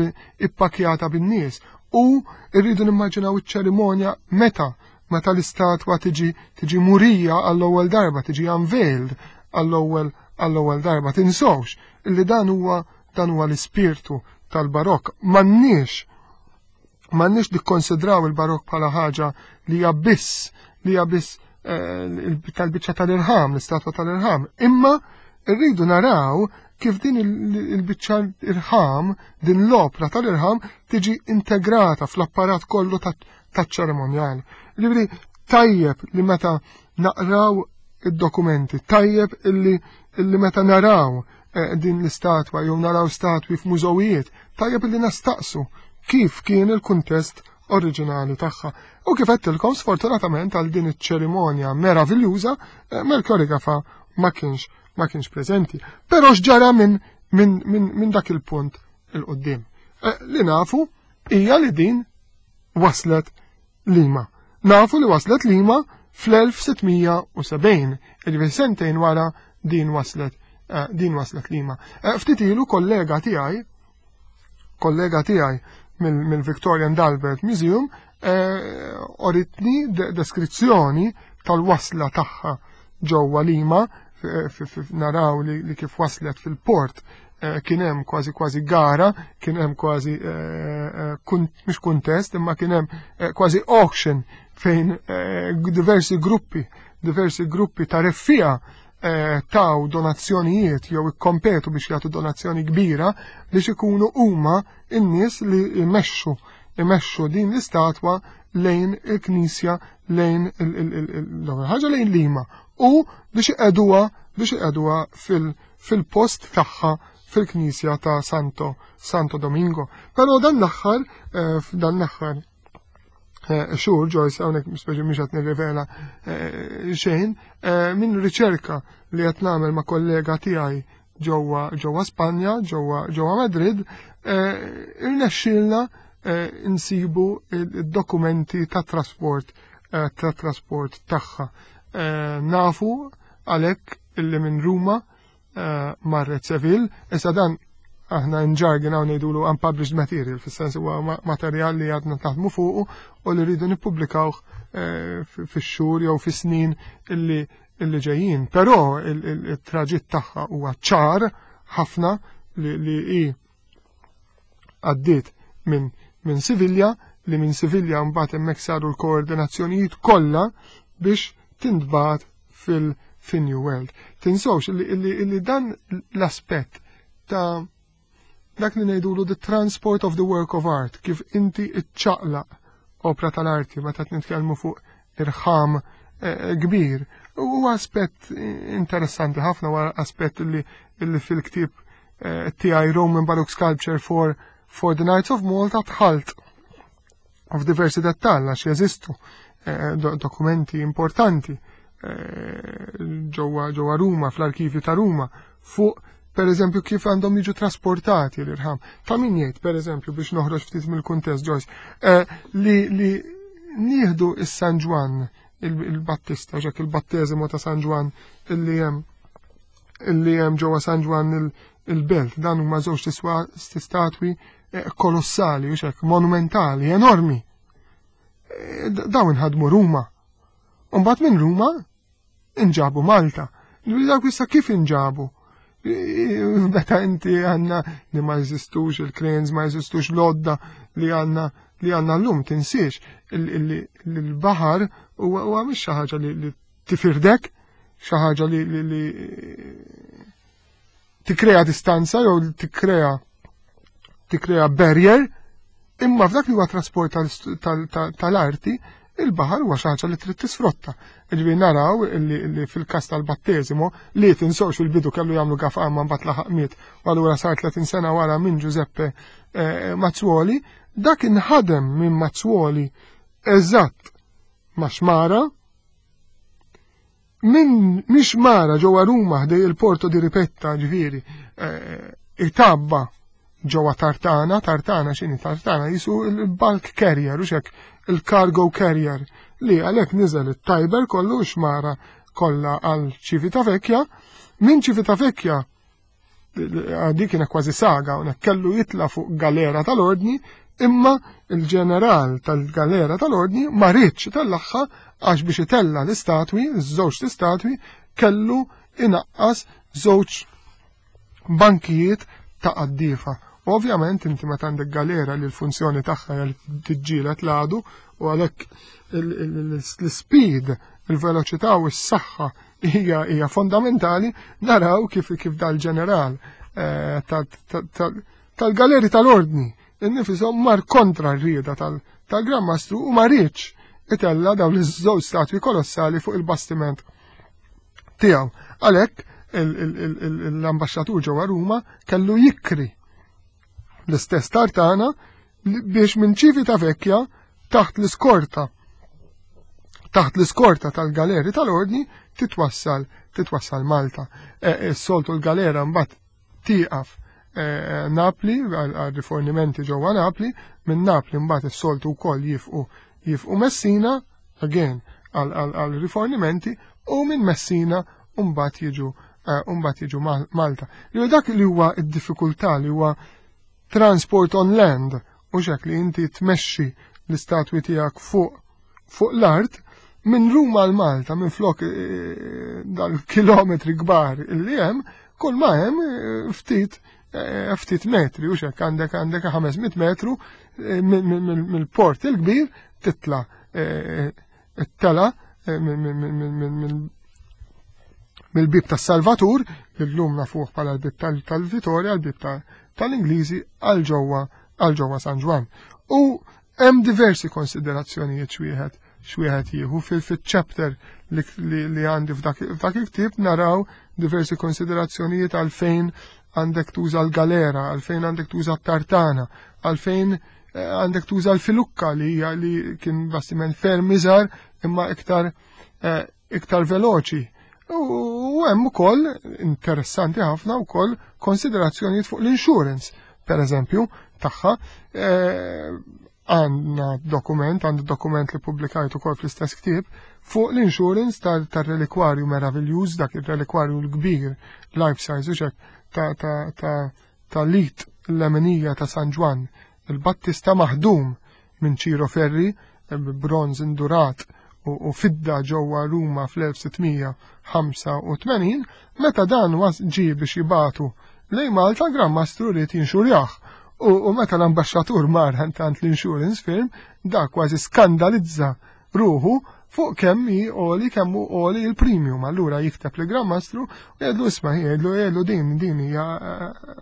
ippakjata bin-nies u rridu nimmaġinaw iċ-ċerimonja meta meta l-istatwa tiġi tiġi murija għall-ewwel darba, tiġi unveiled għall-ewwel għall-ewwel darba. Tinsewx illi dan huwa dan huwa l-ispirtu tal-barokk. M'għandniex m'għandniex nikkonsidraw il-barokk bħala ħaġa li hija biss li hija biss eh, tal-biċċa tal-irħam, l-istatwa tal-irħam, imma rridu naraw kif din il-biċċa irħam, din l-opra tal-irħam tiġi integrata fl-apparat kollu taċ-ċerimonjal. Ġifieri tajjeb li meta naqraw id-dokumenti, tajjeb illi, illi meta naraw eh, din l-istatwa jew naraw statwi f'mużewijiet, tajjeb illi nastaqsu kif kien il-kuntest oriġinali tagħha. U kif għedtilkom, sfortunatament, għal din iċ-ċerimonja meraviljuża, eh, Melchiorre Gafà ma kienx ma kienx preżenti. Però x'ġara minn min, min, min dak il-punt 'il quddiem? Eh, li nafu hija li din waslet Lima. Nafu li waslet Lima fl-elf sitt mija u sebgħin, ġifieri sentejn wara din waslet eh, din waslet Lima. Eh, ftit ilu kollega tiegħi kollega tiegħi mill-Victoria and Albert Museum uritni deskrizzjoni tal-wasla tagħha ġewwa Lima. Naraw li kif waslet fil-port eh, kien hemm kważi kważi gara, kien hemm kważi eh, eh, mhux kuntest, imma kien hemm kważi auction fejn diversi gruppi, diversi gruppi ta' reffija taw donazzjonijiet jew ikkompetu biex jagħtu donazzjoni kbira biex ikunu huma n-nies li jmexxu imexxu din l-istatwa lejn il-knisja, lejn l-ewwel ħaġa lejn Lima u biex iqegħduha biex iqegħduha fil-post tagħha fil-knisja ta' Santo Santo Domingo. Però dan l-aħħar eh, dan l-aħħar eh, xhur, Joyce, hawnhekk speċi mhux qed nirrivela eh, xejn, minn riċerka li qed nagħmel ma' kollega tiegħi ġewwa ġewwa Spanja, ġewwa ġewwa Madrid, irnexxielna insibu id-dokumenti ta' trasport ta' trasport tagħha. Nafu għalhekk illi minn Ruma marret Seville. Issa dan aħna in jargon hawn ngħidulu unpublished material, fis-sens huwa materjal li għadna taħdmu fuqu u li rridu nippubblikawh eh, fix-xhur jew fis-snin illi illi ġejjin. Però il-traġitt tagħha huwa ċar ħafna li li hi għaddiet minn minn Sivilja, li minn Sivilja mbagħad hemmhekk saru l-koordinazzjonijiet kollha biex tintbagħat fil- fin-New World. Tinsewx li, li dan l-aspett ta' dak li ngħidulu the transport of the work of art, kif inti iċċaqlaq opra tal-arti meta nitkellmu fuq irħam eh, kbir. Huwa aspett interessanti ħafna, huwa aspett li, li fil-ktieb eh, tiegħi Roman Baroque Sculpture for, for the Knights of Malta dħalt f'diversi dettall għax jeżistu eh, dokumenti importanti ġewwa ġewwa Ruma, fl-arkivju ta' Ruma, fuq per eżempju kif għandhom jiġu trasportati l-irħam. Ta' min jgħid, per eżempju, biex noħroġ ftit mill-kuntest, Joyce, eh, li, li nieħdu is-San Ġwann il-Battista, ġak il-batteżimu ta' San Ġwann illi hemm illi hemm ġewwa San Ġwann il-Belt, dan huma żewġ statwi kolossali, u hekk, monumentali, enormi. Dawn inħadmu Ruma. Mbagħad minn Ruma inġabu Malta. Dawk issa kif inġabu? Meta inti għandna li ma jeżistux il-cranes, ma jeżistux l-għodda li għandna li għandna llum, tinsiex il-baħar huwa mhix xi ħaġa li tifirdek, xi ħaġa li li tikkrea distanza jew tikkrea tikkrea barrier, imma f'dak li huwa trasport tal-arti, il-baħar huwa xi ħaġa li trid tisfrutta. Ġifieri naraw li fil-każ tal-batteżimo li tinsewx fil-bidu kellu jagħmlu Gafà ma mbagħad laħaq miet u allura sar tletin sena wara minn Giuseppe Mazzuoli, dak inħadem minn Mazzuoli eżatt ma' xmara, minn mix mara ġewwa Ruma ħdej il-Porto di Ripetta, ġifieri itabba ġewwa Tartana. Tartana x'inhi Tartana? Jisu il-bulk carrier, u hekk, il-cargo carrier li għalhekk niżel it-Tiber kollu, xmara kollha, għal Civitavecchia, minn Civitavecchia dik kienet kważi saga, u kellu jitla fuq galera tal-ordni, imma il-ġeneral tal-galera tal-ordni ma riedx itellagħha għax biex itella l-istatwi, żewġ statwi, kellu inaqqas żewġ bankijiet ta' qaddifa. Ovvjament inti meta għandek galera li l-funzjoni tagħha hija li tiġġieled l-għadu u għalhekk l-speed, il-veloċità u s-saħħa hija hija fondamentali, naraw kif kif dal-ġeneral eh, tal-galeri tal-ordni innifisom mar kontra r-rieda tal-Gran Mastru u ma riedx itella dawn iż-żewġ statwi kolossali fuq il-bastiment tiegħu. Għalhekk l-ambaxxatur ġewwa Ruma kellu jikri l-istess tartana biex minn Civitavecchia taħt l-iskorta taħt l-iskorta tal-galeri tal-ordni titwassal titwassal Malta. E, s-soltu l-galera mbagħad tieqaf e, Napli għal rifornimenti ġewwa Napli, minn Napli mbagħad is-soltu wkoll jifqu jifqu Messina again għal rifornimenti u minn Messina mbagħad jiġu mbagħad jiġu Malta. Li dak li huwa d-diffikultà li huwa transport on land u hekk, li inti tmexxi l-istatwi tiegħek fuq fuq l-art minn Ruma għal Malta, minn flok eh, dal-kilometri kbar illi hemm, kull ma hemm eh, ftit eh, ftit metri u hekk, għandek għandek ħames mitt metru mill-port il-kbir titla it-tela mill-bib tas-Salvatur, illum nafuh bħala l-bib tal-Vittoria, l-bib tal-Ingliżi, għal ġewwa għal ġewwa San Ġwann. U hemm diversi konsiderazzjonijiet x'wieħed x'wieħed jieħu fil-chapter li għandi f'dak il-ktieb. Naraw diversi konsiderazzjonijiet għalfejn għandek tuża l-galera, għalfejn għandek tuża t-tartana, għalfejn eh, għandek tuża l-filukka li hija li kien bastiment ferm iżgħar imma iktar eh, iktar veloċi. U hemm ukoll interessanti ħafna wkoll konsiderazzjonijiet fuq l-insurance, per eżempju, tagħha. Eh, għandna dokument, għandu dokument li publikajt ukoll fl-istess ktieb fuq l-insurance tal-relikwarju meraviljuż, dak il-relikwarju l-kbir, life size, u hekk, ta' ta' ta' ta' l-id il-leminija ta' San Ġwann, il-Battista, maħdum minn Ciro Ferri, bronz indurat u fidda ġewwa Ruma fl-elf sitt mija ħamsa u tmenin, meta dan ġi biex jibagħtu lejn Malta, Gran Mastru ried jinxurjah. U meta l-ambasċatur mar għand l-insurance firm, da kważi skandalizza ruħu fuq kemm hi għoli kemm hu għoli il-premium. Allura jikteb li Gran Mastru u jgħidlu, isma', jgħidlu jgħidlu din din hija eh,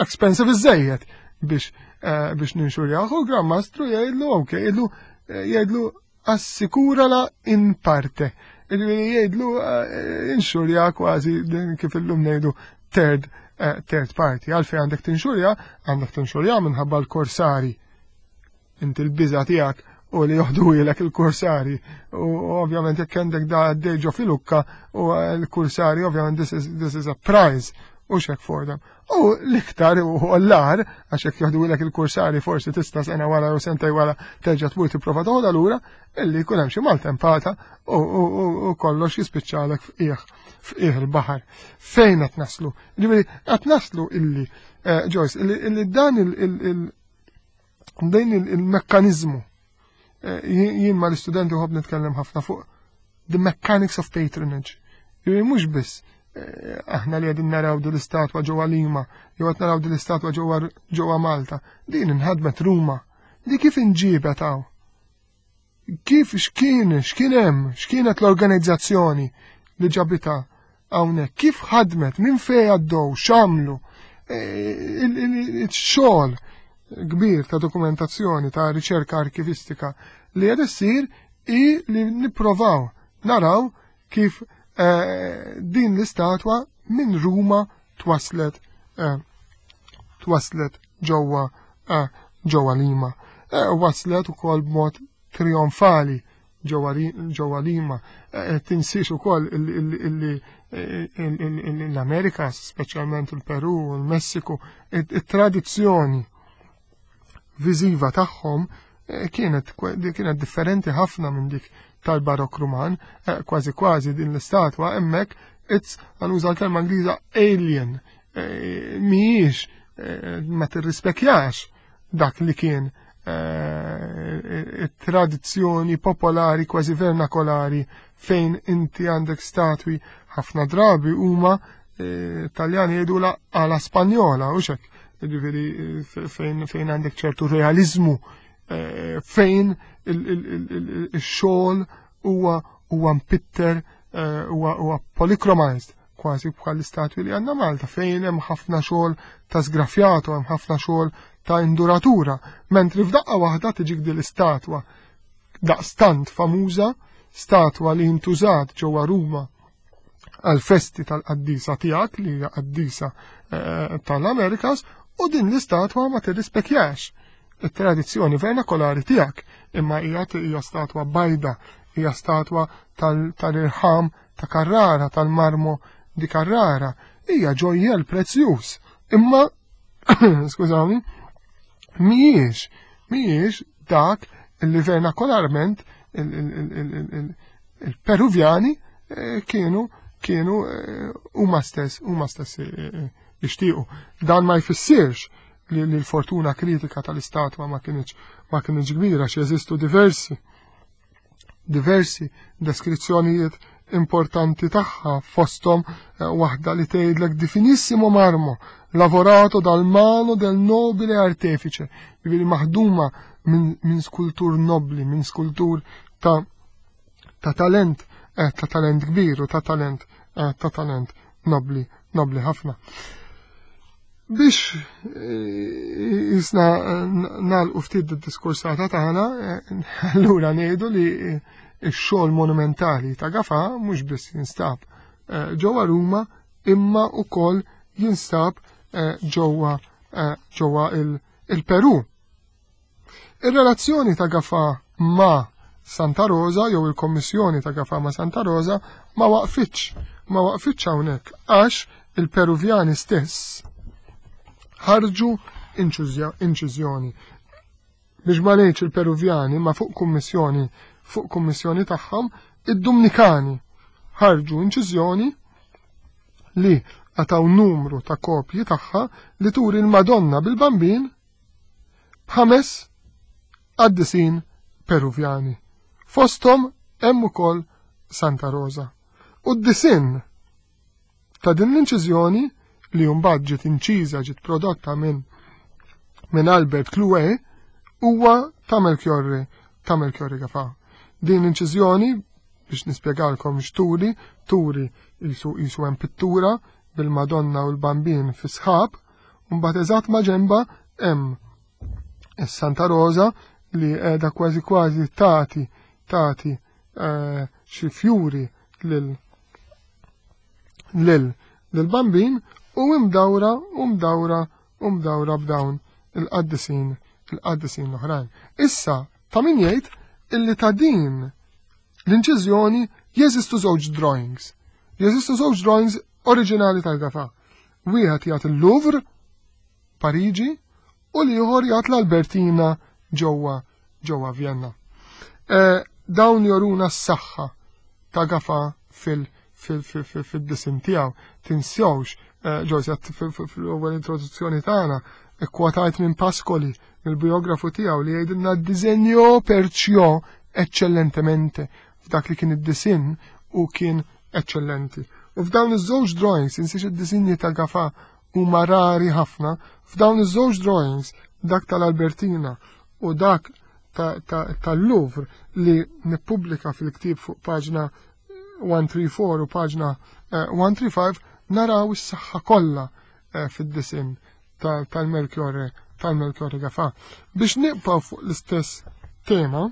expensive iżejjed biex eh, biex ninxurjaw. U Gran Mastru jgħidlu ok, jgħidlu eh, jgħidlu assikurala in parte. Jgħidlu inxurja kważi kif illum ngħidu third third party. Għalfejn għandek tinxurja? Għandek tinxurja minħabba l-korsari. Inti l-biża tiegħek u li joħduhielek il-kursari. U ovvjament jekk għandek da għaddej ġo filukka u l-kursari, ovvjament this is, this is a prize u hekk for them. U l-iktar u l-agħar, għax jekk joħduhielek il-kursari forsi tista' sena wara u sentejn wara terġa' tmur tipprova toħodha lura, illi jkun hemm xi maltempata u kollox jispiċċalek f'qiegħ f'qiegħ il-baħar. Fejn qed naslu? Ġifieri qed naslu illi eh, Joyce, illi dan il Din il-mekkanizmu. Jien ma l-istudenti nħobb nitkellem ħafna fuq the mechanics of patronage. Mhux biss aħna li qegħdin naraw din l-istatwa ġewwa Lima, jew qed naraw din l-istatwa ġewwa Malta. Din inħadmet Ruma. Di kif inġibet hawn? Kif x'kien, x'kien hemm, x'kienet l-organizzazzjoni li ġabitha hawnhekk, kif ħadmet, minn fejn għaddew, x'għamlu, il-xogħol kbir ta' dokumentazzjoni, ta' riċerka arkivistika li qed issir i li nipprovaw naraw kif din l-istatwa minn Ruma twaslet twaslet ġewwa ġewwa Lima. Waslet ukoll b'mod trionfali ġewwa Lima. Tinsiex ukoll l-Amerika, speċjalment il-Peru u l-Messiku, it-tradizzjoni viżiva tagħhom kienet kienet differenti ħafna minn dik tal-Barok Ruman, kważi kważi din l-istatwa hemmhekk it's, ħa nuża l-kelma Ingliża, alien, mhijiex, ma tirrispekjax dak li kien tradizzjoni popolari, kważi vernakolari, fejn inti għandek statwi ħafna drabi huma, Taljani jgħidu, alla spagnola, u xek, ġifieri fejn fejn għandek ċertu realizmu, fejn il-xogħol huwa huwa mpitter, huwa huwa polychromized, kważi bħal l-istatwi li għandna Malta, fejn hemm ħafna xogħol ta' sgrafjato, hemm ħafna xogħol ta' induratura, mentri f'daqqa waħda tiġik din l-istatwa daqstant famuża, statwa li intużat ġewwa Ruma għal festi tal-qaddisa tiegħek li hija qaddisa tal-Amerikas, u din l-istatwa ma tirrispekjax it-tradizzjoni vernakolari tiegħek, imma hija hija statwa bajda, hija statwa tal-irħam ta' Carrara, tal-marmo di Carrara, hija ġojjel prezzjuż. Imma, skużawni, mhijiex, mhijiex dak li vernakolarment il-Peruvjani kienu kienu huma stess huma stess jixtiequ. Dan ma jfissirx li l-fortuna kritika tal-istatwa ma kienx ma kienx kbira, xi jeżistu diversi diversi deskrizzjonijiet importanti tagħha, fosthom waħda li tgħidlek "di finissimo marmo lavorato dal mano del nobile artefice", jiġifieri maħduma minn min skultur nobli, minn skultur ta' ta' talent, eh, ta' talent kbir u ta' talent eh, ta' talent nobli, nobli ħafna. Biex jisna nagħlqu ftit id-diskursata tagħna, allura ngħidu li x-xogħol monumentali ta' Gafà mhux biss jinstab ġewwa Ruma, imma wkoll jinstab ġewwa ġewwa il-Peru. Ir-relazzjoni ta' Gafà ma' Santa Rosa jew il-Kommissjoni ta' Gafà ma' Santa Rosa ma waqfitx, ma waqfitx hawnhekk, għax il-Peruvjani stess ħarġu inċiżjoni. Biex ma ngħidx il-Peruvjani, ma fuq kummissjoni, fuq kummissjoni tagħhom, id-Dumnikani ħarġu inċiżjoni li għataw numru ta' kopji tagħha, li turi l-Madonna bil-Bambin b'ħames qaddisin Peruvjani. Fosthom hemm ukoll Santa Rosa. U d-disinn ta' din l-inċiżjoni, li mbagħad ġiet inċiża, ġiet prodotta minn minn Albert Clouet, huwa ta' Melchiorre ta' Melchiorre Gafà. Din l-inċiżjoni, biex nispjegalkom x'turi, turi jisu jisu hemm pittura bil-Madonna u l-Bambin fi sħab, u mbagħad eżatt ma' ġemba hemm is-Santa Rosa li qiegħda kważi kważi tagħti tagħti eh, xi fjuri lil lil lil-Bambin u imdawra u mdawra u mdawra b'dawn il-qaddisin il-qaddisin l-oħrajn. Issa, ta' min jgħid illi ta' din l-inċiżjoni jeżistu żewġ drawings. Jeżistu żewġ drawings oriġinali tal-Gafà. Wieħed jagħti il-Louvre, Pariġi, u l-ieħor jagħti l-Albertina ġewwa ġewwa Vienna. E, dawn joruna s-saħħa ta' Gafà fil fid-disinn tiegħu. Tinsewx, Joyce, fl-ewwel introduzzjoni tagħna ikkwotajt minn Pascoli, mill-biografu tiegħu, li jgħidilna ddisinjo perciò eccellentemente, f'dak li kien id-disinn u kien eccellenti. U f'dawn iż-żewġ drawings, insiex id-disinji ta' Gafà huma rari ħafna, f'dawn iż-żewġ drawings, dak tal-Albertina u dak tal-Louvre li nippubblika fil-ktieb fuq paġna one three four u paġna one three five, naraw is-saħħa kollha fid-disinn tal-Melchiorre tal-Melchiorre Gafà. Biex nibqgħu fuq l-istess tema,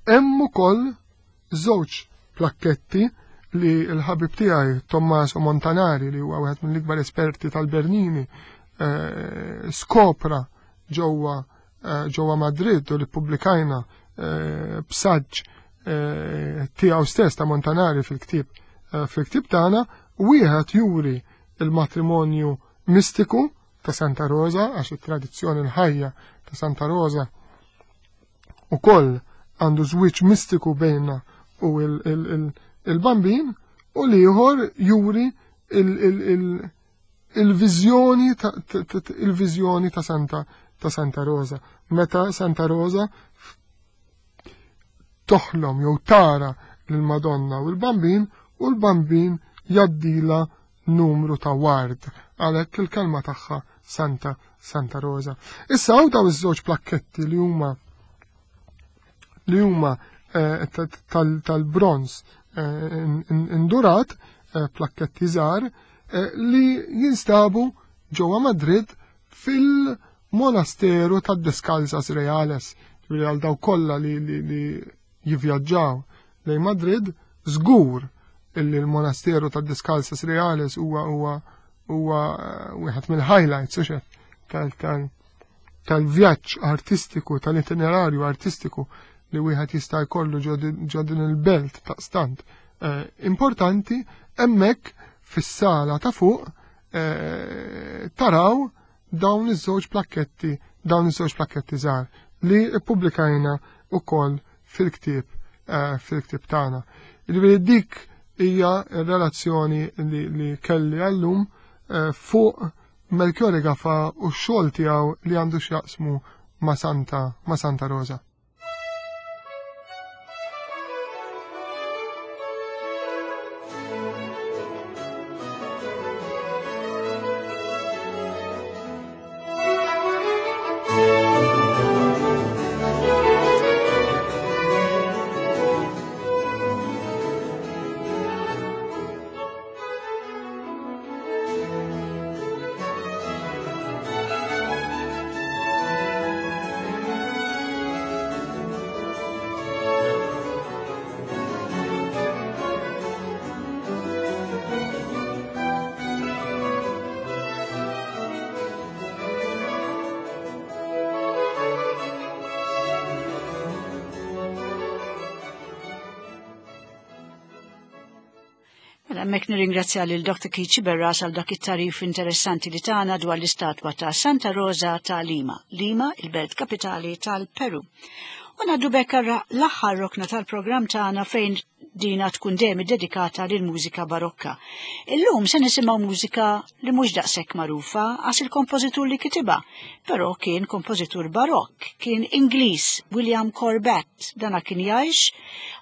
hemm ukoll żewġ plakketti li l-ħabib tiegħi Tommaso Montanari, li huwa wieħed mill-ikbar esperti tal-Bernini, skopra ġewwa ġewwa Madrid u li ppubblikajna b'saġġ tiegħu stess ta' Montanari fil-ktieb fil-ktieb tagħna. Wieħed juri il-matrimonju mistiku ta' Santa Rosa, għax it-tradizzjoni l-ħajja ta' Santa Rosa ukoll għandu żwieġ mistiku bejna u il-bambin, u l-ieħor juri il-viżjoni il-viżjoni ta' Santa ta' Santa Rosa. Meta Santa Rosa toħlom jew tara lill-Madonna u l-Bambin, u l-Bambin jaddila numru ta' ward, għalhekk il-kelma tagħha Santa Santa Rosa. Issa hawn daw iż-żewġ plakketti li huma li huma tal-bronz indurat, plakketti żgħar, li jinstabu ġewwa Madrid fil-monasteru tad-Descalzas Reales. Ġifieri għal daw kollha li, li, li jivvjaġġaw lejn Madrid, żgur illi l-monasteru tad-Descalzas Reales huwa huwa huwa wieħed mill-highlights, u xef, tal-vjaġġ artistiku, tal-itinerarju artistiku li wieħed jista' jkollu ġo din il-belt ta' stant importanti. Hemmhekk fis-sala ta' fuq taraw dawn iż-żewġ plakketti, dawn iż-żewġ plakketti żgħar li ppubblikajna wkoll fil-ktieb fil-ktieb tagħna. Jiġifieri dik hija r-relazzjoni li, li kelli għallum fuq Melchiorre Gafà u x-xogħol tiegħu li għandu x'jaqsmu ma' Santa, ma' Santa Rosa. Hemmhekk nirringrazzja lil Doctor Keith Sciberras għal dak it-tarif interessanti li tagħna dwar l-istatwa ta' Santa Rosa ta' Lima, Lima, il-belt kapitali tal-Peru. U ngħaddu bekk l-aħħar rokna tal-programm tagħna fejn dina tkun dejjem iddedikata lil mużika barokka. Illum se nisimgħu mużika li mhux daqshekk magħrufa għax il-kompożitur li kitibha, però kien kompożitur barokk, kien Ingliż, William Corbett. Dana kien jgħix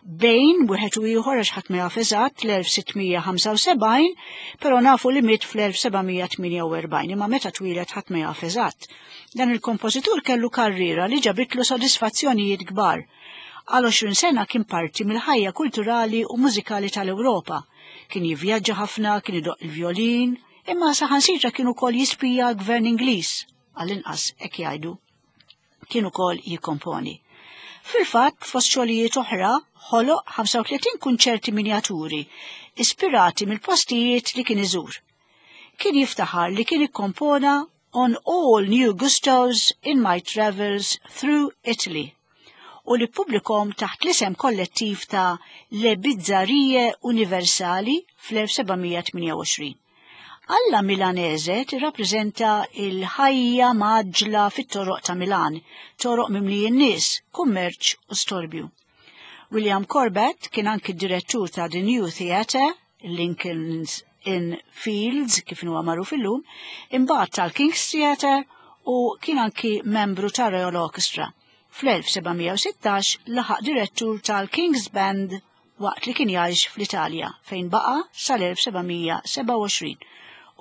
bejn wieħed u ieħor għax ħadd ma jaf eżatt l-elf sittmija ħamsa u sebgħin, però nafu li miet fl-elf sebgħamija tmienja u erbgħin, imma meta twieled ħadd ma jaf eżatt. Dan il-kompożitur kellu karriera li ġabitlu sodisfazzjonijiet kbar. Għal għoxrin sena kien parti mill-ħajja kulturali u mużikali tal-Ewropa. Kien jivvjaġġa ħafna, kien idoq il-vjolin, imma saħansitra kien ukoll jispija l-gvern Ingliż, għall-inqas hekk jgħidu. Kien ukoll jikkomponi. Fil-fatt, fost xogħlijiet oħra, ħoloq ħamsa u tletin kunċerti minjaturi, ispirati mill-postijiet li kien iżur. Kien jiftaħar li kien ikkompona On All New Gustos in My Travels Through Italy u li pubblikom taħt l-isem kollettiv ta' Le Bizzarrie Universali fl-elf sebgħamija tmienja u għoxrin. Alla Milanese tirrappreżenta il-ħajja maġla fit-toroq ta' Milan, toroq mimlijin nies, kummerċ u storbju. William Corbett kien anki direttur ta' The New Theatre, Lincoln's Inn Fields, kif huwa magħruf illum, imbagħad tal-King's Theatre u kien anki membru ta' Royal Orchestra. fl-elf sebgħamija u sittax laħaq direttur tal-King's Band waqt li kien jgħix fl-Italja fejn baqa' sal-elf sebgħamija sebgħa u għoxrin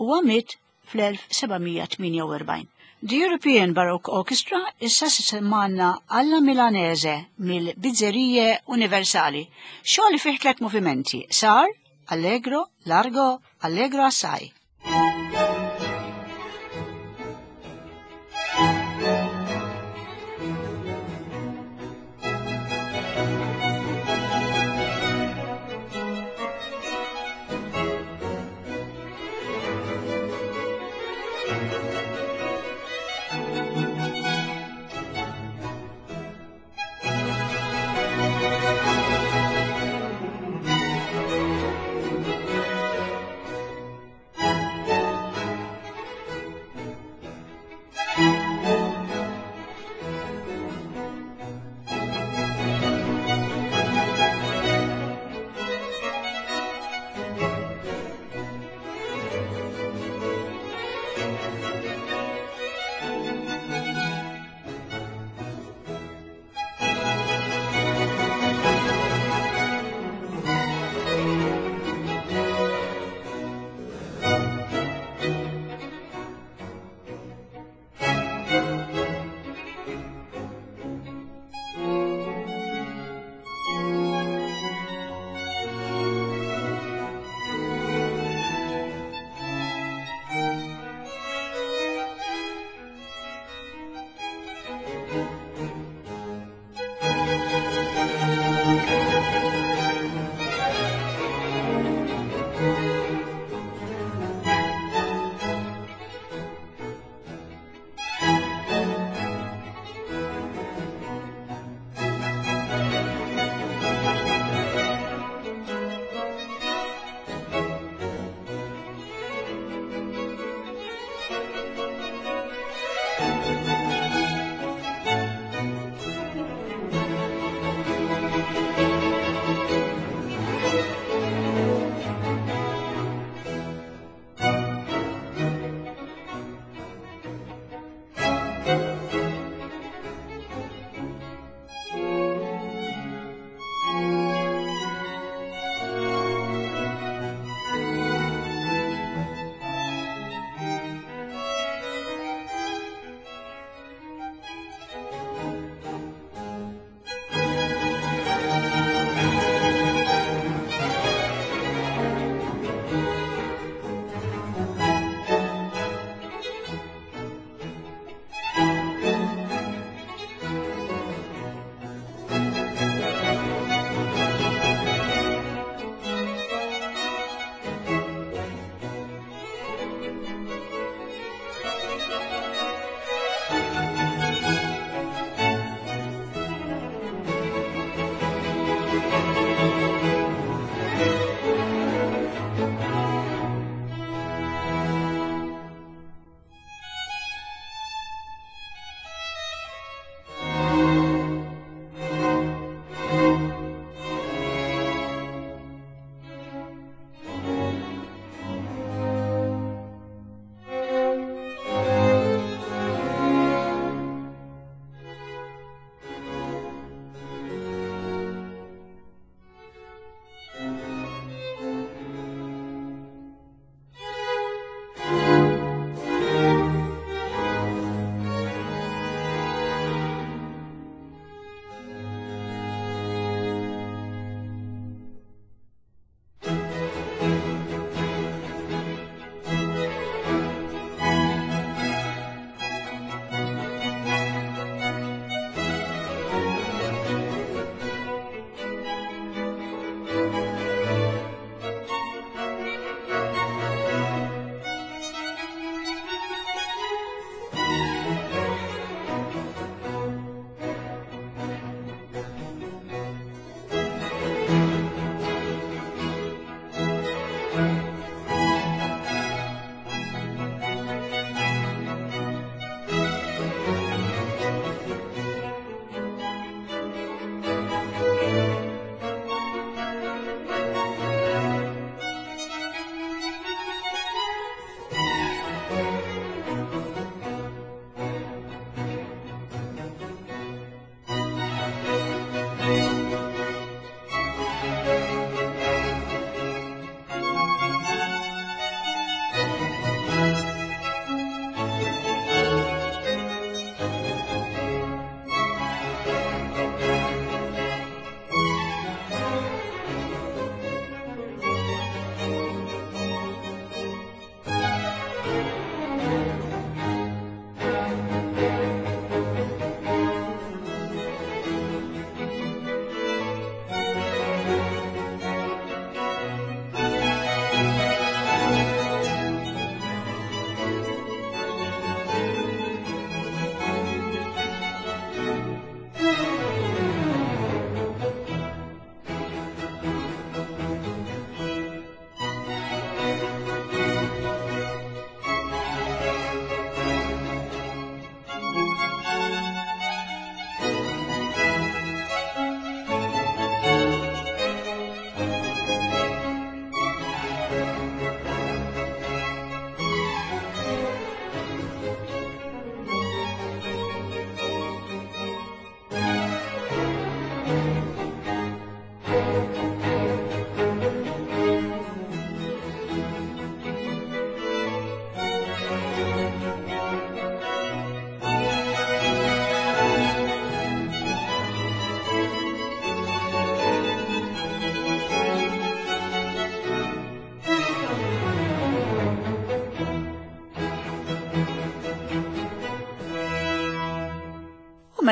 u għamit fl-elf sebgħamija tmienja u erbgħin. The European Baroque Orchestra issa se semmanna alla Milanese mill-Bizzarrie Universali, xogħol li fih tliet movimenti, sar, allegro, largo, allegro assai.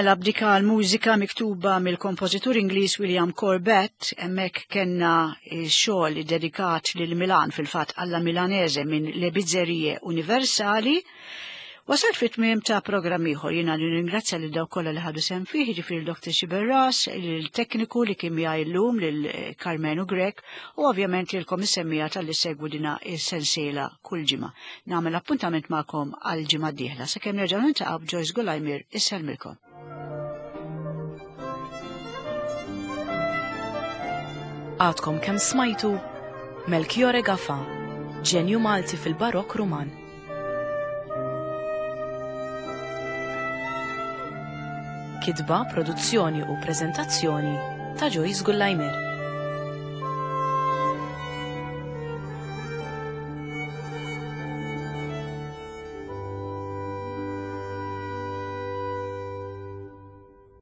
Mela b'dika l-mużika miktuba mill-kompożitur Ingliż William Corbett, hemmhekk kellna xogħol dedikat lil Milan fil-fatt alla Milanese minn Le Bizzerie Universali. Wasalt fit tmiem ta' programm ieħor jiena nirringrazzja lil dawk kollha li ħadu sehem fih, jiġifieri Dr. Xiberras, il-tekniku li kien miegħi llum lil Karmenu Grech u ovvjament lilkom is-semmiegħa talli ssegwu dina is-sensiela kull ġimgħa. Nagħmel appuntament magħkom għal ġimgħa d-dieħla sakemm nerġgħu niltaqgħu b'Joyce Gulajmir issellmilkom. Għadkom kemm smajtu Melchiorre Gafà, ġenju Malti fil-Barokk Ruman. Kitba, produzzjoni u preżentazzjoni ta' Joyce Gullajmer.